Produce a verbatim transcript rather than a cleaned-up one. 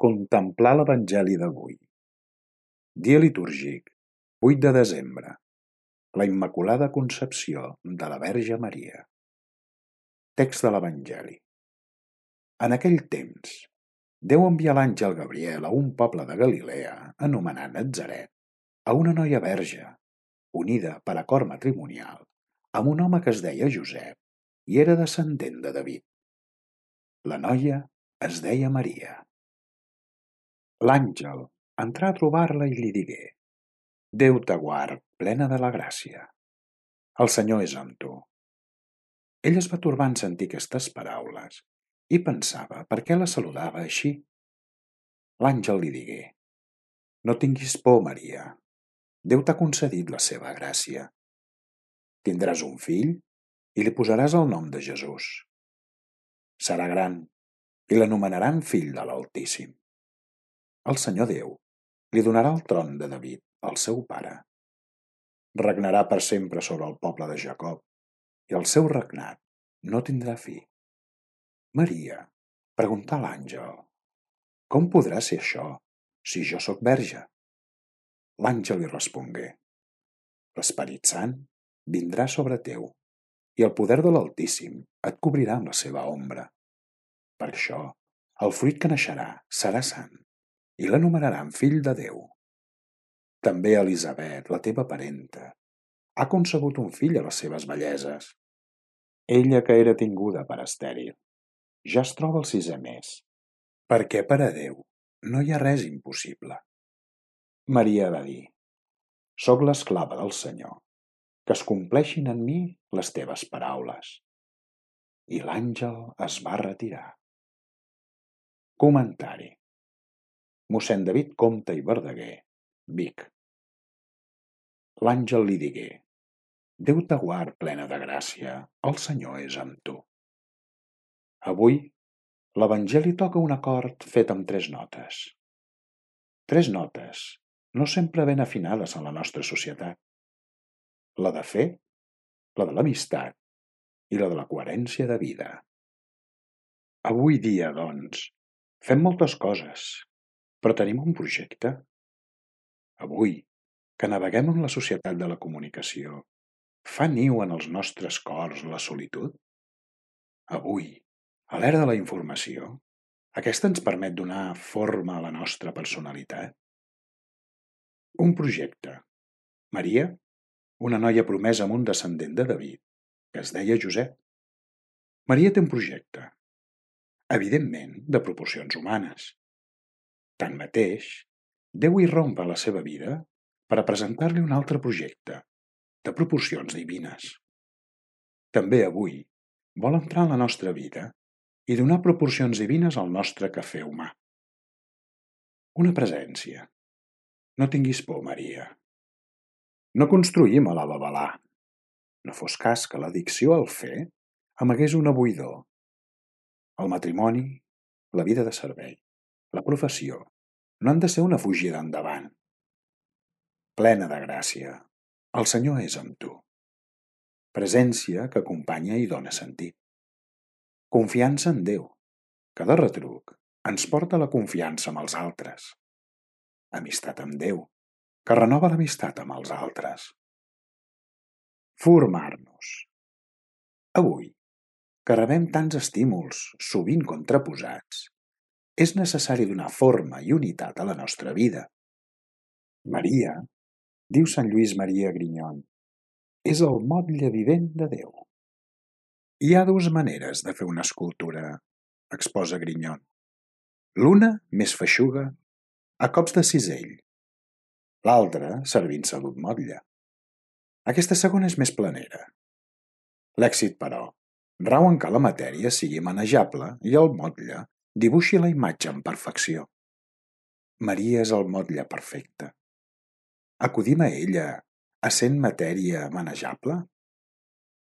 Contemplar l'Evangeli d'avui. Dia litúrgic, vuit de desembre. La Immaculada Concepció de la Verge Maria. Text de l'Evangeli. En aquell temps, Déu envia l'àngel Gabriel a un poble de Galilea anomenat Natzaret, a una noia verge, unida per acord matrimonial, amb un home que es deia Josep i era descendent de David. La noia es deia Maria. L'àngel entrà a trobar-la i li digué: Déu te guard, plena de la gràcia. El Senyor és amb tu. Ell es va torbar en sentir aquestes paraules i pensava per què la saludava així. L'àngel li digué: No tinguis por, Maria. Déu t'ha concedit la seva gràcia. Tindràs un fill i li posaràs el nom de Jesús. Serà gran i l'anomenaran fill de l'Altíssim. El Senyor Déu li donarà el tron de David, el seu pare. Regnarà per sempre sobre el poble de Jacob i el seu regnat no tindrà fi. Maria preguntà a l'àngel: Com podrà ser això, si jo sóc verge? L'àngel li respongué: L'Esperit Sant vindrà sobre teu i el poder de l'Altíssim et cobrirà amb la seva ombra. Per això, el fruit que naixerà serà sant i l'anomenaran fill de Déu. També Elisabet, la teva parenta, ha concebut un fill a les seves velleses. Ella, que era tinguda per estèril, ja es troba al sisè mes, perquè per a Déu no hi ha res impossible. Maria va dir: Soc l'esclava del Senyor, que es compleixin en mi les teves paraules. I l'àngel es va retirar. Comentari. Mossèn David Compte i Verdaguer, Vic. L'àngel li digué: Déu te guard, plena de gràcia, el Senyor és amb tu. Avui, l'Evangeli toca un acord fet amb tres notes. Tres notes no sempre ben afinades en la nostra societat. La de fe, la de l'amistat i la de la coherència de vida. Avui dia, doncs, fem moltes coses, però tenim un projecte. Avui, que naveguem en la societat de la comunicació, fa niu en els nostres cors la solitud? Avui, a l'era de la informació, aquesta ens permet donar forma a la nostra personalitat? Un projecte. Maria, una noia promesa amb un descendent de David, que es deia Josep. Maria té un projecte, evidentment de proporcions humanes. Tanmateix, Déu irromp a la seva vida per a presentar-li un altre projecte, de proporcions divines. També avui vol entrar en la nostra vida i donar proporcions divines al nostre quefer humà. Una presència. No tinguis por, Maria. No construïm a la babalà. No fos cas que l'addicció al fer amagués una buidor. El matrimoni, la vida de servei, la professió, no han de ser una fugida endavant. Plena de gràcia, el Senyor és amb tu. Presència que acompanya i dona sentit. Confiança en Déu, que de retruc ens porta a la confiança amb els altres. Amistat amb Déu, que renova l'amistat amb els altres. Formar-nos. Avui, que rebem tants estímuls, sovint contraposats, és necessari donar forma i unitat a la nostra vida. Maria, diu Sant Lluís Maria Grignon, és el motlle vivent de Déu. Hi ha dues maneres de fer una escultura, exposa Grignon. L'una, més feixuga, a cops de cisell. L'altra, servint-se d'un motlle. Aquesta segona és més planera. L'èxit, però, rau en que la matèria sigui manejable i el motlle dibuixi la imatge amb perfecció. Maria és el motlle perfecte. Acudim a ella, essent matèria manejable?